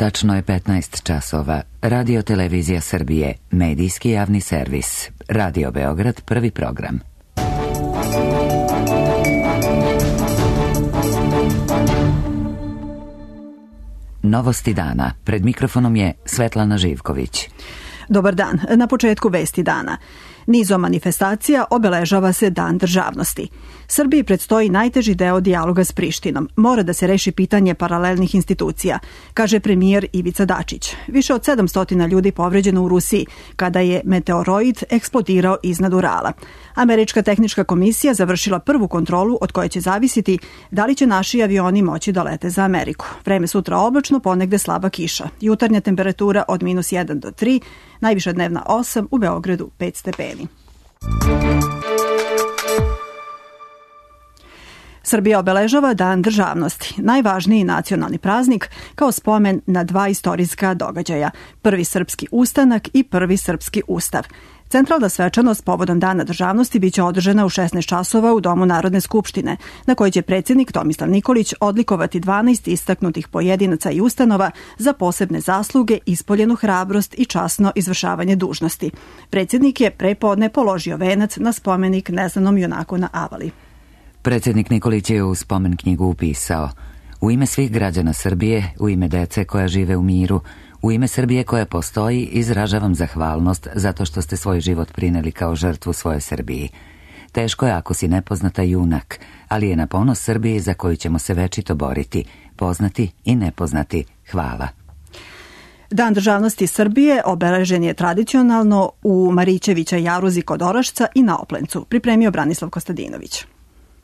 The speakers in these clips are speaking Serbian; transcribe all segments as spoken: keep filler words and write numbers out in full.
Tačno je petnaest časova. Radio Televizija Srbije, medijski javni servis. Radio Beograd, prvi program. Novosti dana. Pred mikrofonom je Svetlana Živković. Dobar dan. Na početku vesti dana. Nizom manifestacija obeležava se Dan državnosti. Srbiji predstoji najteži deo dijaloga s Prištinom. Mora da se reši pitanje paralelnih institucija, kaže premijer Ivica Dačić. Više od sedamsto ljudi povređeno u Rusiji kada je meteoroid eksplodirao iznad Urala. Američka tehnička komisija završila prvu kontrolu od koje će zavisiti da li će naši avioni moći da lete za Ameriku. Vreme sutra oblačno, ponegde slaba kiša. Jutarnja temperatura od minus jedan do tri, najviša dnevna osam, u Beogradu pet stepeni. Srbija obeležava Dan državnosti, najvažniji nacionalni praznik kao spomen na dva istorijska događaja, prvi srpski ustanak i prvi srpski ustav. Centralna svečanost povodom Dana državnosti biće održana u šesnaest časova u Domu Narodne skupštine, na kojoj će predsjednik Tomislav Nikolić odlikovati dvanaest istaknutih pojedinaca i ustanova za posebne zasluge, ispoljenu hrabrost i časno izvršavanje dužnosti. Predsjednik je prepodne položio venac na spomenik neznanom junaku na Avali. Predsjednik Nikolić je u spomen knjigu upisao: u ime svih građana Srbije, u ime dece koja žive u miru, u ime Srbije koja postoji, izražavam zahvalnost zato što ste svoj život prineli kao žrtvu svoje Srbiji. Teško je ako si nepoznata junak, ali je na ponos Srbiji za koju ćemo se večito boriti, poznati i nepoznati. Hvala. Dan državnosti Srbije obeležen je tradicionalno u Marićevića jaruzi kod Orašca i na Oplencu, pripremio Branislav Kostadinović.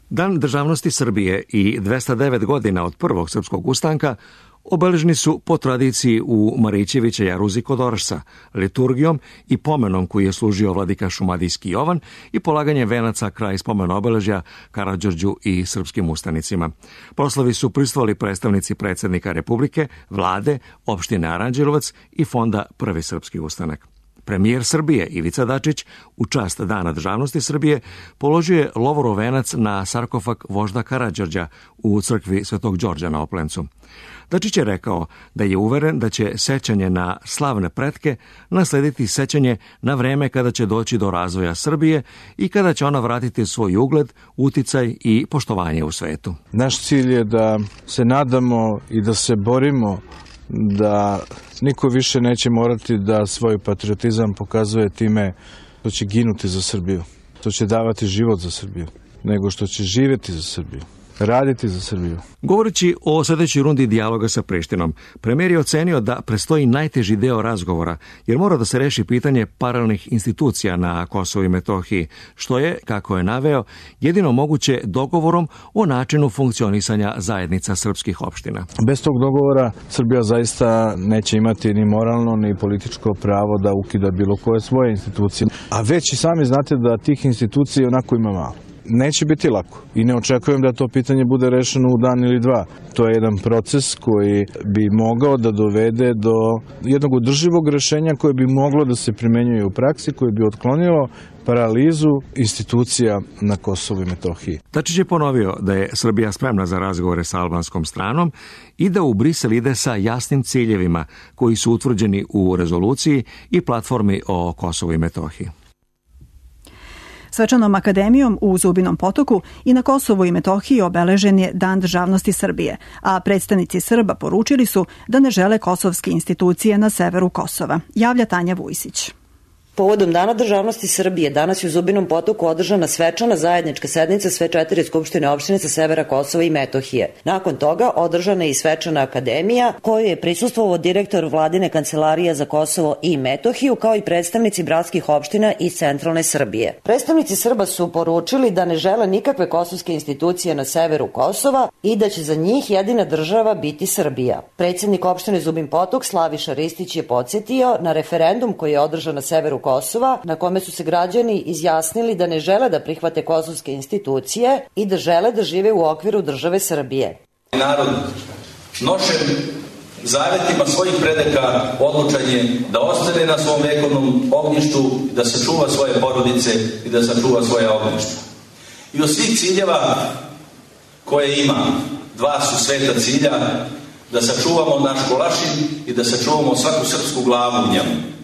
Dan državnosti Srbije i dvesta devet godina od prvog srpskog ustanka obeleženi su po tradiciji u Marićevića jaruzi kod Orašca, liturgijom i pomenom koji je služio vladika šumadijski Jovan i polaganje venaca kraj spomena obeležja Karađorđu i srpskim ustanicima. Proslavi su prisustvovali predstavnici predsjednika Republike, vlade, opštine Aranđelovac i fonda Prvi srpski ustanak. Premijer Srbije Ivica Dačić u čast Dana državnosti Srbije položio je lovorov venac na sarkofag vožda Karađorđa u crkvi Svetog Đorđa na Oplencu. Dačić je rekao da je uveren da će sećanje na slavne pretke naslediti sećanje na vreme kada će doći do razvoja Srbije i kada će ona vratiti svoj ugled, uticaj i poštovanje u svetu. Naš cilj je da se nadamo i da se borimo da niko više neće morati da svoj patriotizam pokazuje time što će ginuti za Srbiju, što će davati život za Srbiju, nego što će živjeti za Srbiju, raditi za Srbiju. Govoreći o sljedećoj rundi dijaloga sa Prištinom, premijer je ocenio da prestoji najteži deo razgovora, jer mora da se reši pitanje paralelnih institucija na Kosovu i Metohiji, što je, kako je naveo, jedino moguće dogovorom o načinu funkcionisanja zajednica srpskih opština. Bez tog dogovora Srbija zaista neće imati ni moralno ni političko pravo da ukida bilo koje svoje institucije. A već i sami znate da tih institucija onako ima malo. Neće biti lako i ne očekujem da to pitanje bude rešeno u dan ili dva. To je jedan proces koji bi mogao da dovede do jednog održivog rešenja koje bi moglo da se primenjuje u praksi, koje bi otklonilo paralizu institucija na Kosovu i Metohiji. Dačić je ponovio da je Srbija spremna za razgovore sa albanskom stranom i da u Brisel ide sa jasnim ciljevima koji su utvrđeni u rezoluciji i platformi o Kosovu i Metohiji. Svečanom akademijom u Zubinom Potoku i na Kosovu i Metohiji obeležen je Dan državnosti Srbije, a predstavnici Srba poručili su da ne žele kosovske institucije na severu Kosova, javlja Tanja Vujsić. Povodom Dana državnosti Srbije danas je u Zubinom Potoku održana svečana zajednička sednica sve četiri skupštine opštine sa severa Kosova i Metohije. Nakon toga održana je i svečana akademija koju je prisustvovao direktor Vladine kancelarije za Kosovo i Metohiju kao i predstavnici bratskih opština iz centralne Srbije. Predstavnici Srba su poručili da ne žele nikakve kosovske institucije na severu Kosova i da će za njih jedina država biti Srbija. Predsjednik opštine Zubin Potok Slaviša Ristić je podsjetio na referendum koji je održan na severu Kosova, na kome su se građani izjasnili da ne žele da prihvate kosovske institucije i da žele da žive u okviru države Srbije. Narod nošen zavetima svojih predaka odlučan je da ostane na svom vekovnom ognjištu, da sačuva svoje porodice i da sačuva svoje ognjište. I od svih ciljeva koje ima, dva su sveta cilja, da sačuvamo naš Golašin i da sačuvamo svaku srpsku glavu u njemu.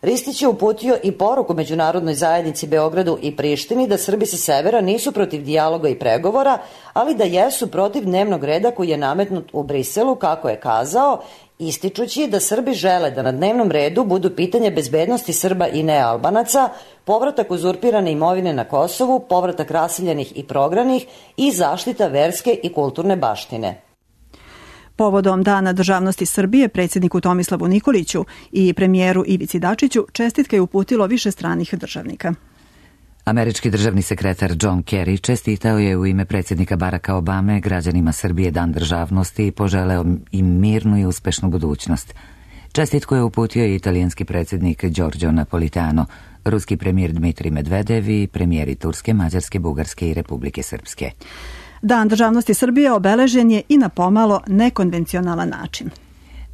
Ristić je uputio i poruku međunarodnoj zajednici Beogradu i Prištini da Srbi sa severa nisu protiv dijaloga i pregovora, ali da jesu protiv dnevnog reda koji je nametnut u Briselu, kako je kazao, ističući da Srbi žele da na dnevnom redu budu pitanje bezbednosti Srba i nealbanaca, povratak uzurpirane imovine na Kosovu, povratak raseljenih i prognanih i zaštita verske i kulturne baštine. Povodom Dana državnosti Srbije, predsjedniku Tomislavu Nikoliću i premijeru Ivici Dačiću čestitke je uputilo više stranih državnika. Američki državni sekretar John Kerry čestitao je u ime predsjednika Baracka Obame građanima Srbije Dan državnosti i poželeo im mirnu i uspešnu budućnost. Čestitku je uputio i italijanski predsjednik Giorgio Napolitano, ruski premijer Dmitrij Medvedev i premijeri Turske, Mađarske, Bugarske i Republike Srpske. Dan državnosti Srbije obeležen je i na pomalo nekonvencionalan način.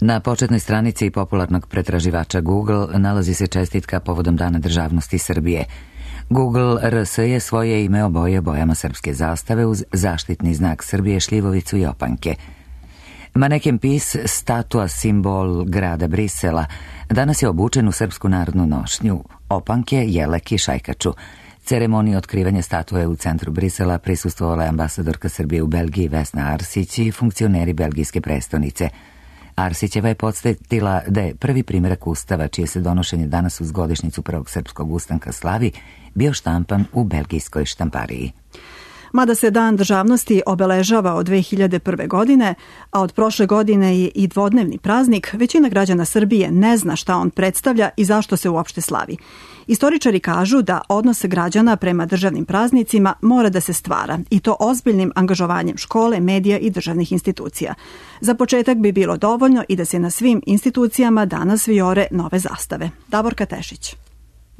Na početnoj stranici popularnog pretraživača Google nalazi se čestitka povodom Dana državnosti Srbije. Google R S je svoje ime obojio bojama srpske zastave uz zaštitni znak Srbije, šljivovicu i opanke. Maneken Pis, statua simbol grada Brisela, danas je obučen u srpsku narodnu nošnju, opanke, jelek i šajkaču. Ceremoniji otkrivanja statue u centru Brisela prisustvovala je ambasadorka Srbije u Belgiji Vesna Arsić i funkcioneri belgijske prestonice. Arsićeva je podsjetila da je prvi primjerak ustava, čije se donošenje danas uz godišnjicu prvog srpskog ustanka slavi, bio štampan u belgijskoj štampariji. Mada se Dan državnosti obeležava od dve hiljade prve. godine, a od prošle godine je i dvodnevni praznik, većina građana Srbije ne zna šta on predstavlja i zašto se uopšte slavi. Istoričari kažu da odnos građana prema državnim praznicima mora da se stvara, i to ozbiljnim angažovanjem škole, medija i državnih institucija. Za početak bi bilo dovoljno i da se na svim institucijama danas vijore nove zastave. Davorka Tešić.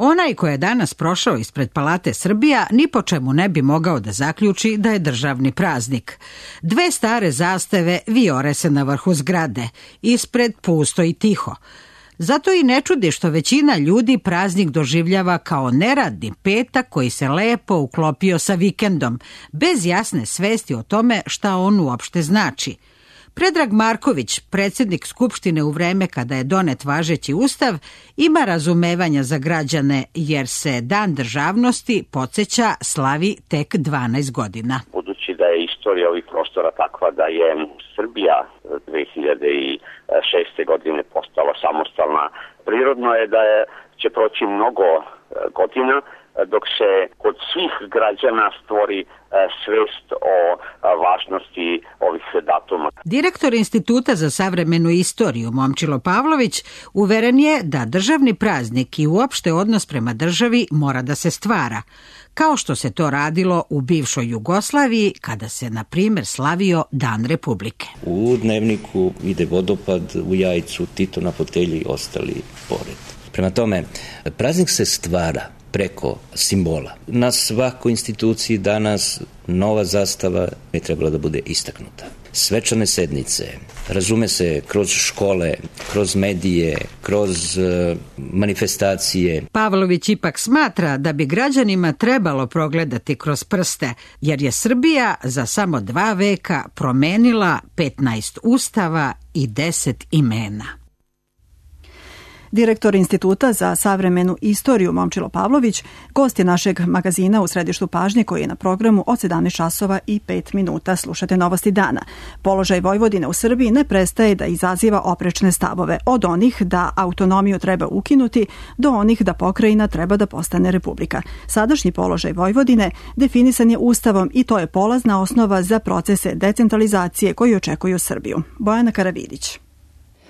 Onaj ko je danas prošao ispred Palate Srbija ni po čemu ne bi mogao da zaključi da je državni praznik. Dve stare zastave vijore se na vrhu zgrade, ispred pusto i tiho. Zato i ne čudi što većina ljudi praznik doživljava kao neradni petak koji se lepo uklopio sa vikendom, bez jasne svesti o tome šta on uopšte znači. Predrag Marković, predsjednik Skupštine u vreme kada je donet važeći ustav, ima razumevanja za građane jer se Dan državnosti, podsjeća, slavi tek dvanaest godina. Budući da je istorija ovih prostora takva da je Srbija dve hiljade šeste. godine postala samostalna, prirodno je da je, će proći mnogo godina dok se kod svih građana stvori svest o važnosti ovih datuma. Direktor Instituta za savremenu istoriju Momčilo Pavlović uveren je da državni praznik i uopšte odnos prema državi mora da se stvara, kao što se to radilo u bivšoj Jugoslaviji kada se, na primjer, slavio Dan Republike. U Dnevniku ide vodopad u Jajcu, Tito na fotelji i ostali pored. Prema tome, praznik se stvara preko simbola. Na svakoj instituciji danas nova zastava je trebala da bude istaknuta. Svečane sednice, razume se kroz škole, kroz medije, kroz uh, manifestacije. Pavlović ipak smatra da bi građanima trebalo progledati kroz prste, jer je Srbija za samo dva veka promenila petnaest ustava i deset imena. Direktor Instituta za savremenu istoriju Momčilo Pavlović gost je našeg magazina u središtu pažnje koji je na programu od sedamnaest časova i pet minuta. Slušate Novosti dana. Položaj Vojvodine u Srbiji ne prestaje da izaziva oprečne stavove, od onih da autonomiju treba ukinuti do onih da pokrajina treba da postane republika. Sadašnji položaj Vojvodine definisan je Ustavom i to je polazna osnova za procese decentralizacije koji očekuju Srbiju. Bojana Karavidić.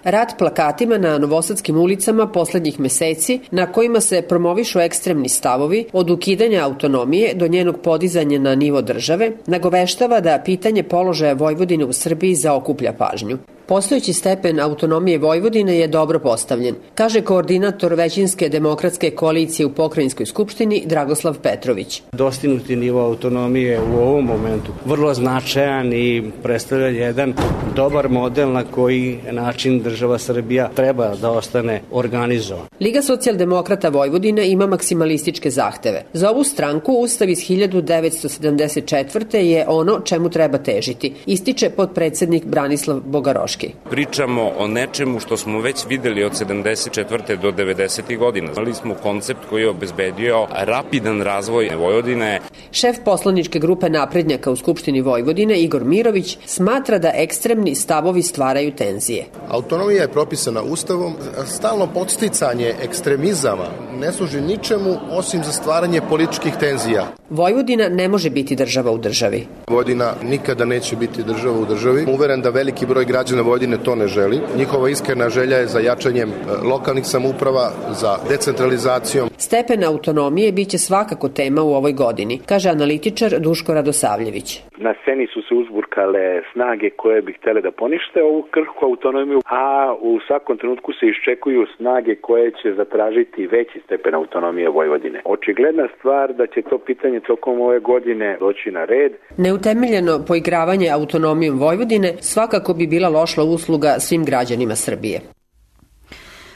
Rat plakatima na novosadskim ulicama poslednjih meseci, na kojima se promovišu ekstremni stavovi od ukidanja autonomije do njenog podizanja na nivo države, nagoveštava da pitanje položaja Vojvodine u Srbiji zaokuplja pažnju. Postojeći stepen autonomije Vojvodine je dobro postavljen, kaže koordinator većinske demokratske koalicije u Pokrajinskoj skupštini Dragoslav Petrović. Dostignuti nivo autonomije u ovom momentu vrlo značajan i predstavlja jedan dobar model na koji način država Srbija treba da ostane organizovan. Liga socijaldemokrata Vojvodine ima maksimalističke zahteve. Za ovu stranku Ustav iz hiljadu devetsto sedamdeset četvrte je ono čemu treba težiti, ističe potpredsednik Branislav Bogaroški. Pričamo o nečemu što smo već videli od sedamdeset četvrte do devedesetih godina. Znali smo koncept koji je obezbedio rapidan razvoj Vojvodine. Šef poslaničke grupe naprednjaka u Skupštini Vojvodine, Igor Mirović, smatra da ekstremni stavovi stvaraju tenzije. Autonomija je propisana Ustavom, stalno podsticanje ekstremizama ne služi ničemu osim za stvaranje političkih tenzija. Vojvodina ne može biti država u državi. Vojvodina nikada neće biti država u državi. Uveren da veliki broj građana Vojvodine to ne želi. Njihova iskrena želja je za jačanjem lokalnih samouprava, za decentralizacijom. Stepen autonomije biće svakako tema u ovoj godini, kaže analitičar Duško Radosavljević. Na sceni su se uzburkale snage koje bi htele da ponište ovu krhku autonomiju, a u svakom trenutku se iščekuju snage koje će zatražiti veći stepen autonomije Vojvodine. Očigledna stvar da će to pitanje tokom ove godine doći na red. Neutemeljeno poigravanje autonomijom Vojvodine svakako bi bila loša usluga svim građanima Srbije.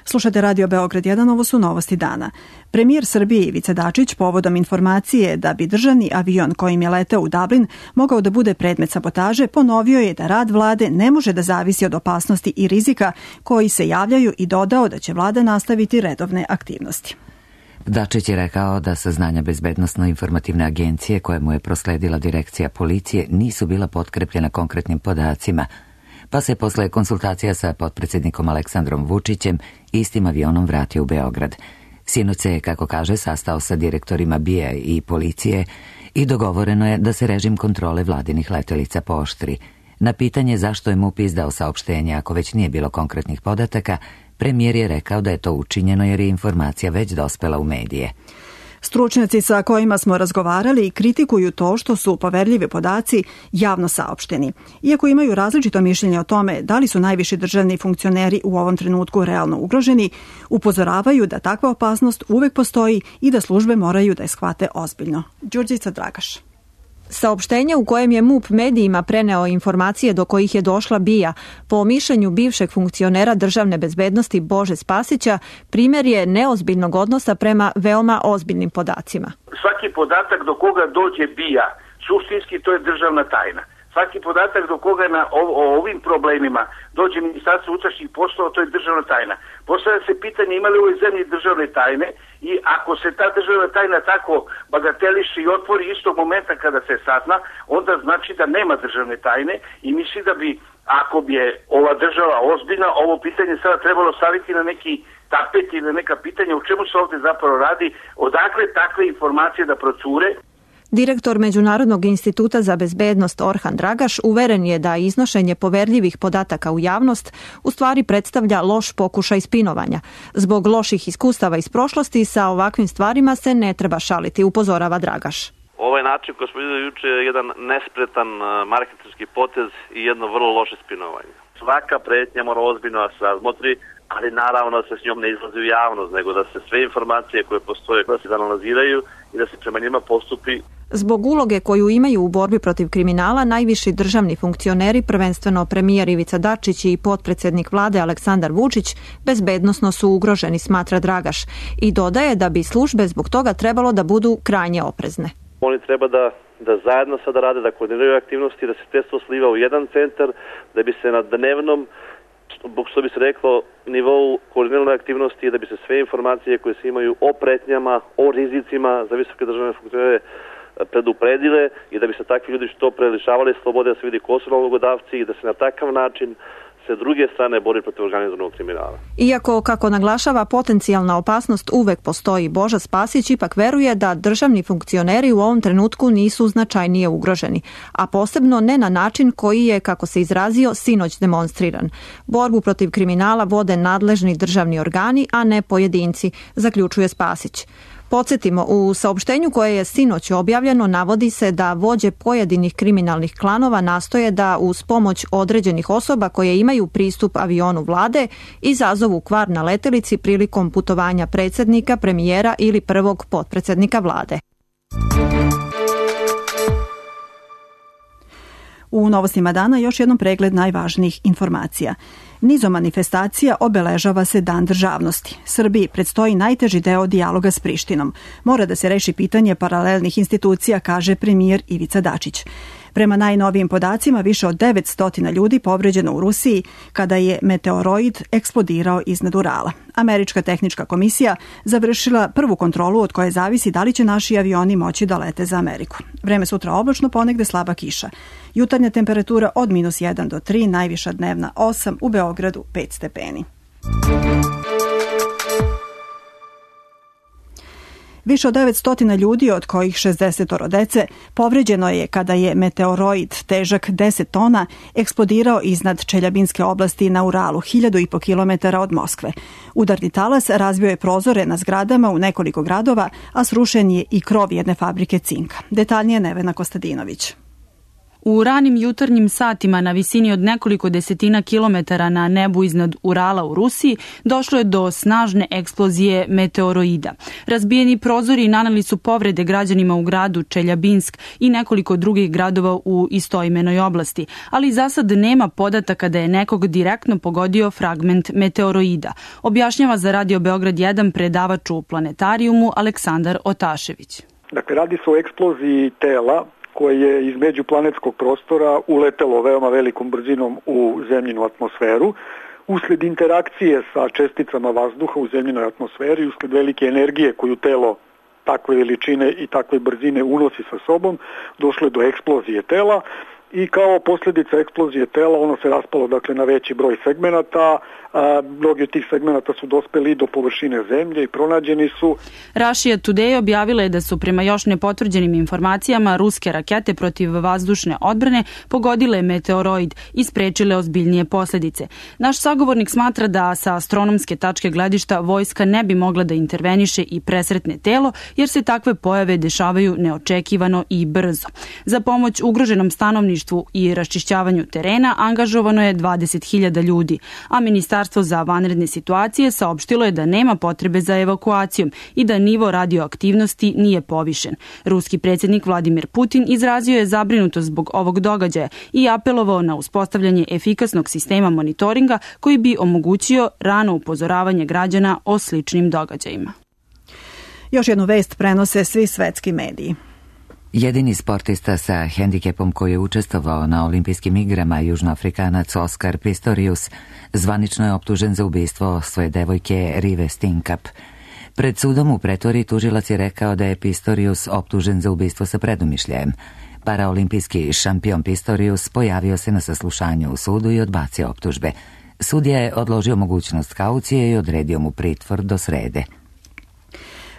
Slušate Radio Beograd jedan, ovo su novosti dana. Premijer Srbije Ivica Dačić povodom informacije da bi državni avion kojim je leteo u Dublin mogao da bude predmet sabotaže, ponovio je da rad vlade ne može da zavisi od opasnosti i rizika koji se javljaju i dodao da će vlada nastaviti redovne aktivnosti. Dačić je rekao da saznanja Bezbednosno-informativne agencije koje mu je prosledila direkcija policije nisu bila potkrepljena konkretnim podacima, pa se posle konsultacija sa potpredsjednikom Aleksandrom Vučićem istim avionom vratio u Beograd. Sinoć se, kako kaže, sastao sa direktorima B I A i policije i dogovoreno je da se režim kontrole vladinih letelica pooštri. Na pitanje zašto je M U P izdao saopštenje ako već nije bilo konkretnih podataka, premijer je rekao da je to učinjeno jer je informacija već dospela u medije. Stručnjaci sa kojima smo razgovarali kritikuju to što su poverljivi podaci javno saopšteni. Iako imaju različito mišljenje o tome da li su najviši državni funkcioneri u ovom trenutku realno ugroženi, upozoravaju da takva opasnost uvek postoji i da službe moraju da je shvate ozbiljno. Đurđica Dragaš. Saopštenje u kojem je M U P medijima preneo informacije do kojih je došla B I A po mišljenju bivšeg funkcionera državne bezbednosti Bože Spasića primjer je neozbiljnog odnosa prema veoma ozbiljnim podacima. Svaki podatak do koga dođe B I A, suštinski to je državna tajna. Svaki podatak do koga na o, o ovim problemima dođe Ministarstvo unutrašnjih poslova, to je državna tajna. Postavlja se pitanje ima li u ovoj zemlji državne tajne i ako se ta državna tajna tako bagateliše i otvori istog momenta kada se sazna, onda znači da nema državne tajne i misli da bi, ako bi je ova država ozbiljna, ovo pitanje sada trebalo staviti na neki tapet ili na neka pitanja o čemu se ovdje zapravo radi, odakle takve informacije da procure. Direktor Međunarodnog instituta za bezbednost Orhan Dragaš uveren je da iznošenje poverljivih podataka u javnost u stvari predstavlja loš pokušaj spinovanja. Zbog loših iskustava iz prošlosti sa ovakvim stvarima se ne treba šaliti, upozorava Dragaš. Ovaj način koji smo vidjeli juče je jedan nespretan marketinški potez i jedno vrlo loše spinovanje. Svaka pretnja mora ozbiljno da se razmotri, ali naravno da se s njom ne izlazi u javnost, nego da se sve informacije koje postoje da se analiziraju i da se prema njima postupi. Zbog uloge koju imaju u borbi protiv kriminala, najviši državni funkcioneri, prvenstveno premijer Ivica Dačić i potpredsjednik vlade Aleksandar Vučić, bezbednosno su ugroženi, smatra Dragaš, i dodaje da bi službe zbog toga trebalo da budu krajnje oprezne. Oni treba da, da zajedno sada rade, da koordiniraju aktivnosti, da se testo sliva u jedan centar, da bi se na dnevnom, što bi se reklo, nivou koordinirane aktivnosti, da bi se sve informacije koje se imaju o pretnjama, o rizicima za visoke državne funkcionere predupredile i da bi se takvi ljudi što pre lišavali slobode, da se vidi ko su nalogodavci i da se na takav način se druge strane bori protiv organizovanog kriminala. Iako, kako naglašava, potencijalna opasnost uvek postoji, Boža Spasić ipak veruje da državni funkcioneri u ovom trenutku nisu značajnije ugroženi, a posebno ne na način koji je, kako se izrazio, sinoć demonstriran. Borbu protiv kriminala vode nadležni državni organi, a ne pojedinci, zaključuje Spasić. Podsjetimo, u saopštenju koje je sinoć objavljeno navodi se da vođe pojedinih kriminalnih klanova nastoje da uz pomoć određenih osoba koje imaju pristup avionu vlade izazovu kvar na letelici prilikom putovanja predsjednika, premijera ili prvog potpredsjednika vlade. U novostima dana još jednom pregled najvažnijih informacija. Nizom manifestacija obeležava se Dan državnosti. Srbiji predstoji najteži deo dijaloga s Prištinom. Mora da se reši pitanje paralelnih institucija, kaže premijer Ivica Dačić. Prema najnovijim podacima, više od devetsto ljudi povređeno u Rusiji kada je meteoroid eksplodirao iznad Urala. Američka tehnička komisija završila prvu kontrolu od koje zavisi da li će naši avioni moći da lete za Ameriku. Vreme sutra oblačno, ponegde slaba kiša. Jutarnja temperatura od minus jedan do tri, najviša dnevna osam, u Beogradu pet stepeni. Više od devetsto ljudi, od kojih šezdeset dece, povređeno je kada je meteoroid težak deset tona eksplodirao iznad Čeljabinske oblasti na Uralu, hiljadu i po kilometara od Moskve. Udarni talas razbio je prozore na zgradama u nekoliko gradova, a srušen je i krov jedne fabrike cinka. Detaljnije Nevena Kostadinović. U ranim jutarnjim satima na visini od nekoliko desetina kilometara na nebu iznad Urala u Rusiji došlo je do snažne eksplozije meteoroida. Razbijeni prozori naneli su povrede građanima u gradu Čeljabinsk i nekoliko drugih gradova u istoimenoj oblasti, ali za sad nema podataka da je nekog direktno pogodio fragment meteoroida, objašnjava za Radio Beograd jedan predavač u planetarijumu Aleksandar Otašević. Dakle, radi se o eksploziji tela koje je iz međuplanetskog prostora uletelo veoma velikom brzinom u zemljinu atmosferu. Usled interakcije sa česticama vazduha u zemljinoj atmosferi, usled velike energije koju telo takve veličine i takve brzine unosi sa sobom, došlo je do eksplozije tela i kao posljedica eksplozije tela ono se raspalo dakle na veći broj segmenata. A, mnogi od tih segmenata su dospeli do površine zemlje i pronađeni su. Russia Today objavila je da su prema još nepotvrđenim informacijama ruske rakete protiv vazdušne odbrane pogodile meteoroid i sprečile ozbiljnije posljedice. Naš sagovornik smatra da sa astronomske tačke gledišta vojska ne bi mogla da interveniše i presretne telo, jer se takve pojave dešavaju neočekivano i brzo. Za pomoć ugroženom stanovništvu i raščišćavanju terena angažovano je dvadeset hiljada ljudi, a ministar Ministarstvo za vanredne situacije saopštilo je da nema potrebe za evakuacijom i da nivo radioaktivnosti nije povišen. Ruski predsjednik Vladimir Putin izrazio je zabrinutost zbog ovog događaja i apelovao na uspostavljanje efikasnog sistema monitoringa koji bi omogućio rano upozoravanje građana o sličnim događajima. Još jednu vest prenose svi svetski mediji. Jedini sportista sa hendikepom koji je učestvovao na olimpijskim igrama, Južnoafrikanac Oskar Pistorius, zvanično je optužen za ubistvo svoje devojke Rive Stinkap. Pred sudom u Pretoriji tužilac je rekao da je Pistorius optužen za ubistvo sa predumišljajem. Paraolimpijski šampion Pistorius pojavio se na saslušanju u sudu i odbacio optužbe. Sudija je odložio mogućnost kaucije i odredio mu pritvor do srede.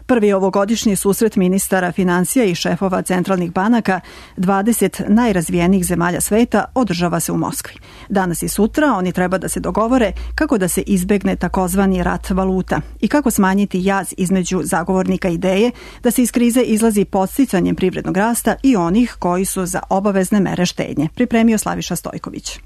Prvi ovogodišnji susret ministara financija i šefova centralnih banaka dvadeset najrazvijenijih zemalja sveta održava se u Moskvi. Danas i sutra oni treba da se dogovore kako da se izbegne takozvani rat valuta i kako smanjiti jaz između zagovornika ideje da se iz krize izlazi podsticanjem privrednog rasta i onih koji su za obavezne mere štednje, pripremio Slaviša Stojković.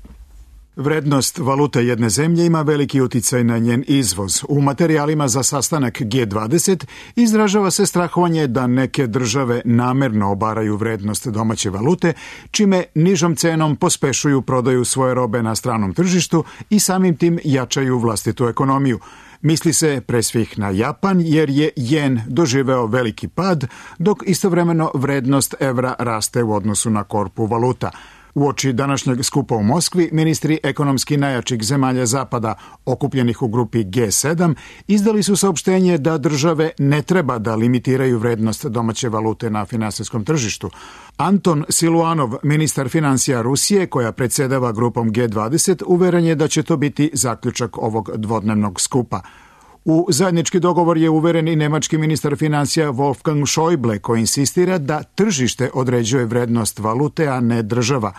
Vrednost valute jedne zemlje ima veliki uticaj na njen izvoz. U materijalima za sastanak G dvadeset izražava se strahovanje da neke države namerno obaraju vrednost domaće valute, čime nižom cenom pospešuju prodaju svoje robe na stranom tržištu i samim tim jačaju vlastitu ekonomiju. Misli se pre svih na Japan jer je jen doživeo veliki pad, dok istovremeno vrednost evra raste u odnosu na korpu valuta. Uoči današnjeg skupa u Moskvi, ministri ekonomski najjačih zemalja Zapada, okupljenih u grupi G sedam, izdali su saopštenje da države ne treba da limitiraju vrednost domaće valute na finansijskom tržištu. Anton Siluanov, ministar financija Rusije, koja predsjedava grupom G dvadeset, uveren je da će to biti zaključak ovog dvodnevnog skupa. U zajednički dogovor je uveren i nemački ministar financija Wolfgang Schäuble, koji insistira da tržište određuje vrednost valute, a ne država.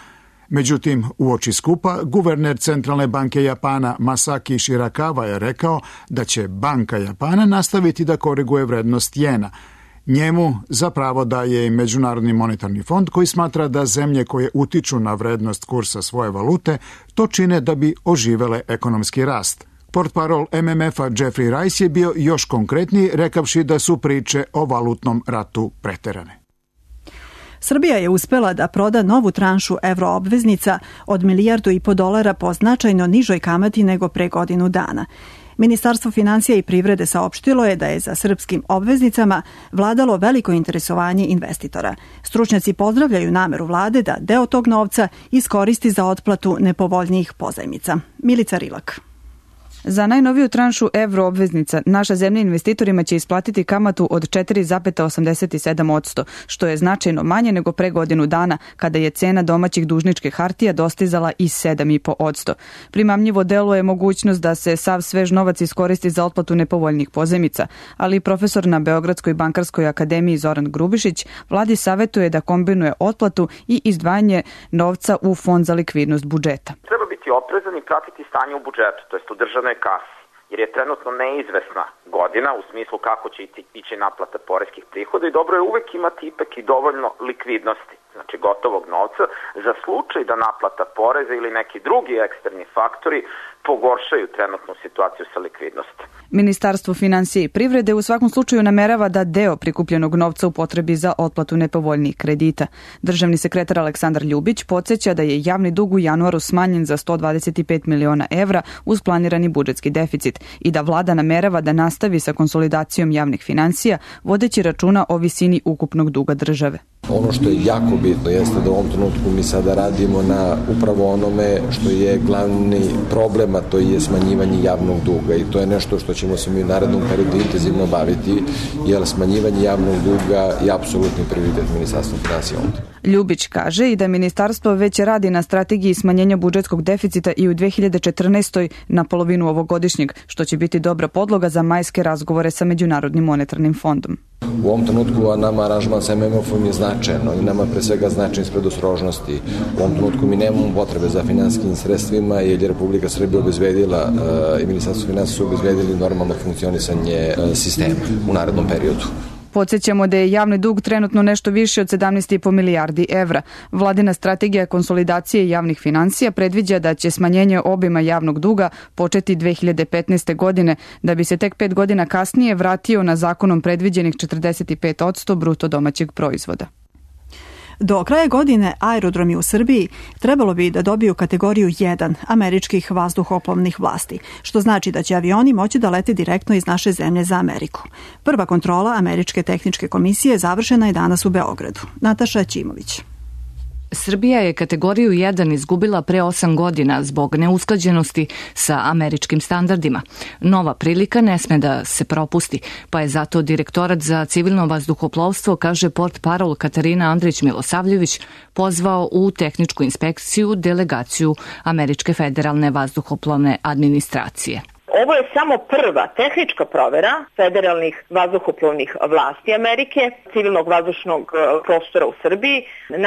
Međutim, uoči skupa, guverner Centralne banke Japana Masaki Shirakawa je rekao da će Banka Japana nastaviti da koriguje vrednost jena. Njemu za pravo daje i Međunarodni monetarni fond koji smatra da zemlje koje utiču na vrednost kursa svoje valute to čine da bi oživele ekonomski rast. Portparol M M F-a Jeffrey Rice je bio još konkretniji, rekavši da su priče o valutnom ratu preterane. Srbija je uspela da proda novu tranšu evroobveznica od milijardu i po dolara po značajno nižoj kamati nego pre godinu dana. Ministarstvo finansija i privrede saopštilo je da je za srpskim obveznicama vladalo veliko interesovanje investitora. Stručnjaci pozdravljaju nameru vlade da deo tog novca iskoristi za otplatu nepovoljnijih pozajmica. Milica Rilak. Za najnoviju tranšu evroobveznica naša zemlja investitorima će isplatiti kamatu od četiri zarez osamdeset sedam posto, što je značajno manje nego pre godinu dana, kada je cena domaćih dužničkih hartija dostizala i sedam zarez pet posto. Primamljivo deluje mogućnost da se sav svež novac iskoristi za otplatu nepovoljnih pozajmica, ali profesor na Beogradskoj bankarskoj akademiji Zoran Grubišić vladi savetuje da kombinuje otplatu i izdvajanje novca u fond za likvidnost budžeta. Treba biti oprezan i pratiti stanje u budžetu, to jest u državnoj kasi, jer je trenutno neizvesna godina u smislu kako će ići naplata poreskih prihoda i dobro je uvek imati ipak i dovoljno likvidnosti, znači gotovog novca, za slučaj da naplata poreza ili neki drugi eksterni faktori pogoršaju trenutnu situaciju sa likvidnosti. Ministarstvo finansija i privrede u svakom slučaju namerava da deo prikupljenog novca upotrebi za otplatu nepovoljnijih kredita. Državni sekretar Aleksandar Ljubić podsjeća da je javni dug u januaru smanjen za sto dvadeset pet miliona evra uz planirani budžetski deficit i da vlada namerava da nastavi sa konsolidacijom javnih finansija, vodeći računa o visini ukupnog duga države. Ono što je jako bitno jeste da u ovom trenutku mi sada radimo na upravo onome što je glavni problem, a to je smanjivanje javnog duga i to je nešto što ćemo se mi u narednom periodu intenzivno baviti, jer smanjivanje javnog duga je apsolutni prioritet Ministarstva finansija. Ljubić kaže i da ministarstvo već radi na strategiji smanjenja budžetskog deficita i u dve hiljade četrnaestoj na polovinu ovogodišnjeg, što će biti dobra podloga za majske razgovore sa Međunarodnim monetarnim fondom. U ovom trenutku nama aranžman sa M M F-om je značajno i nama pre svega značajan iz predostrožnosti. U ovom trenutku mi nemamo potrebe za finansijskim sredstvima jer je Republika Srbija obezbedila i Ministarstvo finansija su obezbedili normalno funkcionisanje sistema u narednom periodu. Podsjećamo da je javni dug trenutno nešto više od sedamnaest zarez pet milijardi evra. Vladina strategija konsolidacije javnih finansija predviđa da će smanjenje obima javnog duga početi dve hiljade petnaeste. godine, da bi se tek pet godina kasnije vratio na zakonom predviđenih četrdeset pet posto bruto domaćeg proizvoda. Do kraja godine aerodromi u Srbiji trebalo bi da dobiju kategoriju jedan američkih vazduhoplovnih vlasti, što znači da će avioni moći da lete direktno iz naše zemlje za Ameriku. Prva kontrola Američke tehničke komisije završena je danas u Beogradu. Nataša Ćimović. Srbija je kategoriju jedan izgubila pre osam godina zbog neusklađenosti sa američkim standardima. Nova prilika ne sme da se propusti, pa je zato Direktorat za civilno vazduhoplovstvo, kaže portparol Katarina Andrić-Milosavljević, pozvao u tehničku inspekciju delegaciju Američke federalne vazduhoplovne administracije. Ovo je samo prva tehnička provera federalnih vazduhoplovnih vlasti Amerike, civilnog vazdušnog prostora u Srbiji.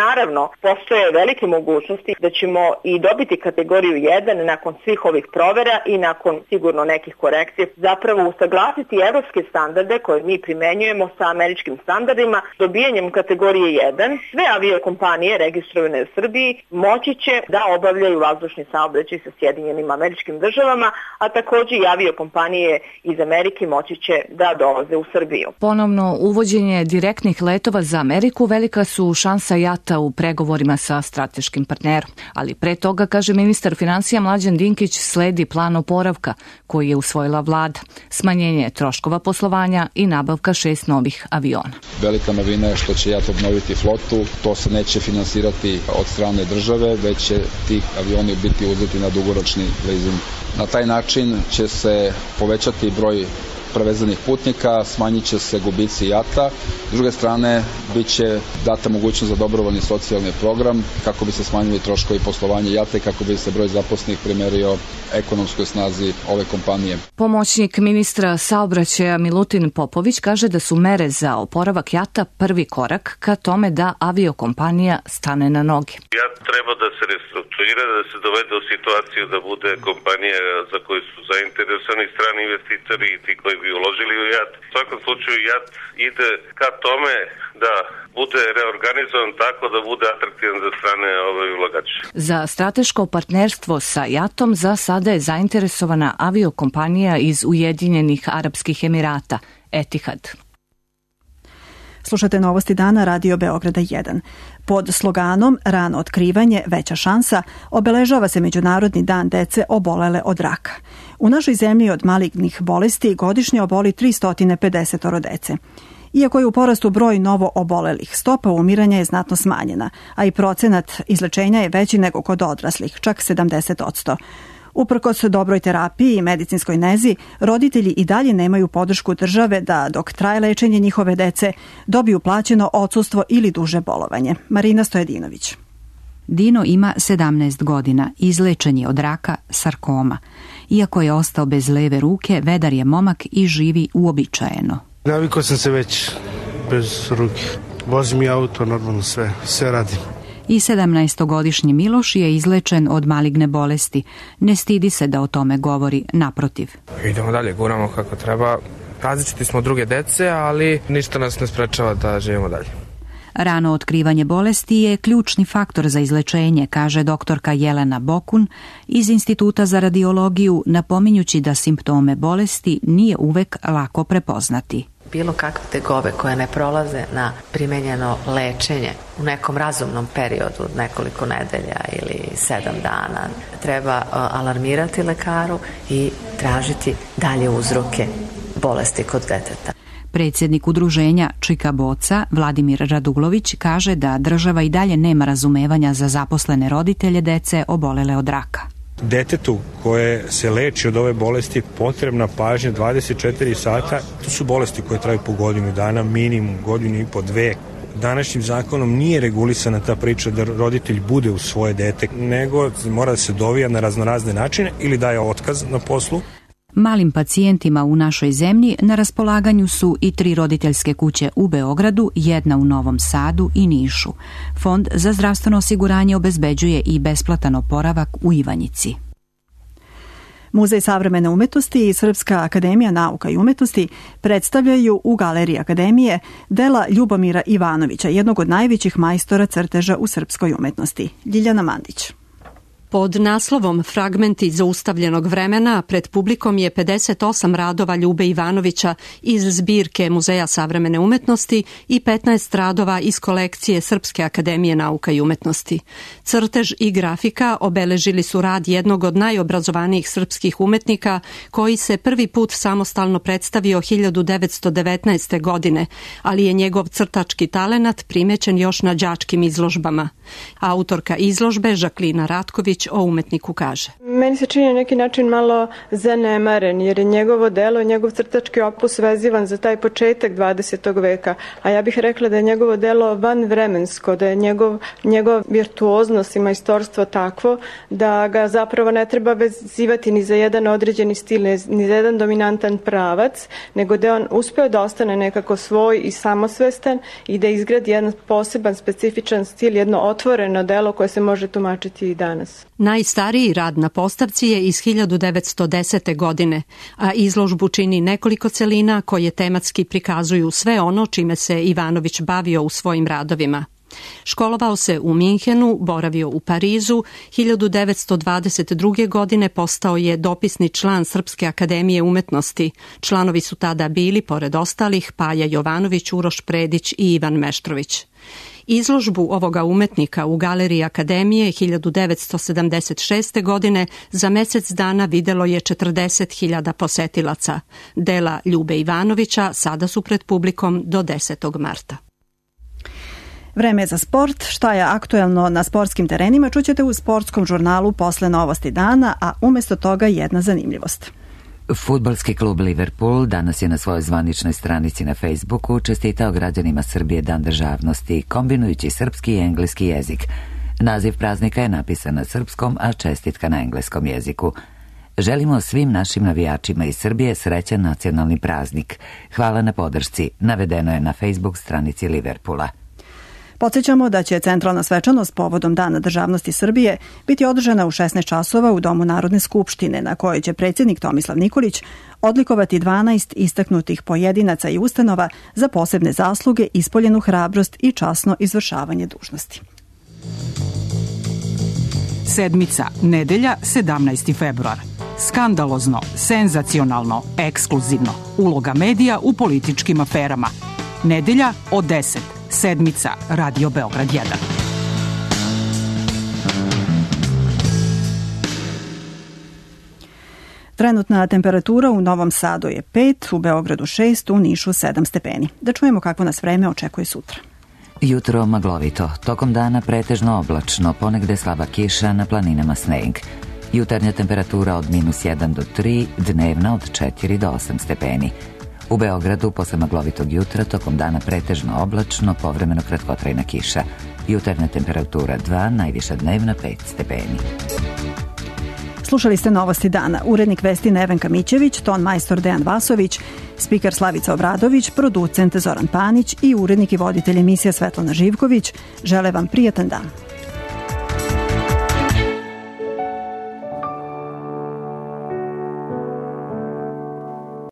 Naravno, postoje velike mogućnosti da ćemo i dobiti kategoriju jedan nakon svih ovih provera i nakon sigurno nekih korekcija. Zapravo usaglasiti evropske standarde koje mi primenjujemo sa američkim standardima. Dobijanjem kategorije jedan sve aviokompanije registrovane u Srbiji moći će da obavljaju vazdušni saobraćaj sa Sjedinjenim Američkim Državama, a također i aviokompanije iz Amerike moći će da dolaze u Srbiju. Ponovno uvođenje direktnih letova za Ameriku velika su šansa jata u pregovorima sa strateškim partnerom. Ali pre toga, kaže ministar finansija Mlađan Dinkić, sledi plan oporavka koji je usvojila vlada. Smanjenje troškova poslovanja i nabavka šest novih aviona. Velika novina je što će jat obnoviti flotu. To se neće finansirati od strane države, već će ti avioni biti uzeti na dugoročni leasing. Na taj način će se povećati broj prevezenih putnika, smanjit će se gubici jata. S druge strane, bit će data mogućnost za dobrovoljni socijalni program kako bi se smanjili troškovi poslovanja jata i kako bi se broj zaposlenih primerio ekonomskoj snazi ove kompanije. Pomoćnik ministra saobraćaja Milutin Popović kaže da su mere za oporavak jata prvi korak ka tome da aviokompanija stane na noge. Jat treba da se restrukturira, da se dovede u situaciju da bude kompanija za koju su zainteresovani strani investitori i ti koji bi uložili u JAT. U svakom slučaju JAT ide ka tome da bude reorganizovan tako da bude atraktivan za strane ove ulagače. Za strateško partnerstvo sa JAT-om za sada je zainteresovana aviokompanija iz Ujedinjenih Arapskih Emirata, Etihad. Slušate Novosti dana Radio Beograda jedan. Pod sloganom Rano otkrivanje, veća šansa obeležava se Međunarodni dan dece obolele od raka. U našoj zemlji od malignih bolesti godišnje oboli tristo pedeset dece. Iako je u porastu broj novo obolelih, stopa umiranja je znatno smanjena, a i procenat izlečenja je veći nego kod odraslih, čak sedamdeset posto. Uprkos dobroj terapiji i medicinskoj nezi, roditelji i dalje nemaju podršku države da, dok traje lečenje njihove dece, dobiju plaćeno odsustvo ili duže bolovanje. Marina Stojedinović. Dino ima sedamnaest godina, izlečen je od raka sarkoma. Iako je ostao bez leve ruke, vedar je momak i živi uobičajeno. Navikao sam se već bez ruke. Vozim i auto, normalno sve, sve radim. I sedamnaestogodišnji Miloš je izlečen od maligne bolesti. Ne stidi se da o tome govori, naprotiv. Idemo dalje, guramo kako treba. Različiti smo od druge dece, ali ništa nas ne sprečava da živimo dalje. Rano otkrivanje bolesti je ključni faktor za izlečenje, kaže doktorka Jelena Bokun iz Instituta za radiologiju, napominjući da simptome bolesti nije uvek lako prepoznati. Bilo kakve tegobe koje ne prolaze na primenjeno lečenje u nekom razumnom periodu, nekoliko nedelja ili sedam dana, treba alarmirati lekaru i tražiti dalje uzroke bolesti kod deteta. Predsjednik udruženja Čika Boca, Vladimir Radulović, kaže da država i dalje nema razumevanja za zaposlene roditelje dece obolele od raka. Detetu koje se leči od ove bolesti potrebna pažnja dvadeset četiri sata. To su bolesti koje traju po godinu dana, minimum godinu i po dve. Današnjim zakonom nije regulisana ta priča da roditelj bude uz svoje dete, nego mora da se dovija na raznorazne načine ili daje otkaz na poslu. Malim pacijentima u našoj zemlji na raspolaganju su i tri roditeljske kuće u Beogradu, jedna u Novom Sadu i Nišu. Fond za zdravstveno osiguranje obezbeđuje i besplatan oporavak u Ivanjici. Muzej savremene umetnosti i Srpska akademija nauka i umetnosti predstavljaju u Galeriji Akademije dela Ljubomira Ivanovića, jednog od najvećih majstora crteža u srpskoj umetnosti. Ljiljana Mandić. Pod naslovom Fragmenti zaustavljenog vremena pred publikom je pedeset osam radova Ljube Ivanovića iz zbirke Muzeja savremene umetnosti i petnaest radova iz kolekcije Srpske akademije nauka i umetnosti. Crtež i grafika obeležili su rad jednog od najobrazovanijih srpskih umetnika koji se prvi put samostalno predstavio hiljadu devetsto devetnaeste. godine, ali je njegov crtački talenat primećen još na đačkim izložbama. Autorka izložbe Žaklina Ratković o umetniku kaže. Meni se čini na neki način malo zanemaren, jer je njegovo delo, njegov crtački opus vezivan za taj početak dvadesetog veka, a ja bih rekla da je njegovo delo vanvremensko, da je njegov, njegov virtuoznost i majstorstvo takvo da ga zapravo ne treba vezivati ni za jedan određeni stil, ni za jedan dominantan pravac, nego da je on uspeo da ostane nekako svoj i samosvestan i da izgradi jedan poseban, specifičan stil, jedno otvoreno delo koje se može tumačiti i danas. Najstariji rad na postavci je iz hiljadu devetsto desete. godine, a izložbu čini nekoliko celina koje tematski prikazuju sve ono čime se Ivanović bavio u svojim radovima. Školovao se u Minhenu, boravio u Parizu, hiljadu devetsto dvadeset druge. godine postao je dopisni član Srpske akademije umetnosti. Članovi su tada bili, pored ostalih, Paja Jovanović, Uroš Predić i Ivan Meštrović. Izložbu ovoga umetnika u Galeriji Akademije hiljadu devetsto sedamdeset šeste. godine za mesec dana videlo je četrdeset hiljada posetilaca. Dela Ljube Ivanovića sada su pred publikom do desetog marta. Vreme je za sport. Šta je aktuelno na sportskim terenima čućete u sportskom žurnalu posle Novosti dana, a umjesto toga jedna zanimljivost. Fudbalski klub Liverpool danas je na svojoj zvaničnoj stranici na Facebooku čestitao građanima Srbije Dan državnosti, kombinujući srpski i engleski jezik. Naziv praznika je napisan na srpskom, a čestitka na engleskom jeziku. Želimo svim našim navijačima iz Srbije srećan nacionalni praznik. Hvala na podršci, navedeno je na Facebook stranici Liverpoola. Podsjećamo da će centralna svečanost povodom Dana državnosti Srbije biti održana u šesnaest časova u Domu Narodne skupštine, na kojoj će predsjednik Tomislav Nikolić odlikovati dvanaest istaknutih pojedinaca i ustanova za posebne zasluge, ispoljenu hrabrost i časno izvršavanje dužnosti. Sedmica, nedelja, sedamnaesti februar. Skandalozno, senzacionalno, ekskluzivno. Uloga medija u političkim aferama. Nedelja od deset. Sedmica, Radio Beograd jedan. Trenutna temperatura u Novom Sadu je pet, u Beogradu šest, u Nišu sedam stepeni. Da čujemo kako nas vreme očekuje sutra. Jutro maglovito, tokom dana pretežno oblačno, ponegde slaba kiša, na planinama sneg. Jutarnja temperatura od minus jedan do tri, dnevna od četiri do osam stepeni. U Beogradu posle maglovitog jutra tokom dana pretežno oblačno, povremeno kratkotrajna kiša. Jutarnja temperatura dva, najviša dnevna pet stepeni. Slušali ste Novosti dana. Urednik vesti Nevenka Mićević, ton majstor Dejan Vasović, spiker Slavica Obradović, producent Zoran Panić i urednik i voditelj emisija Svetlana Živković. Žele vam prijatan dan.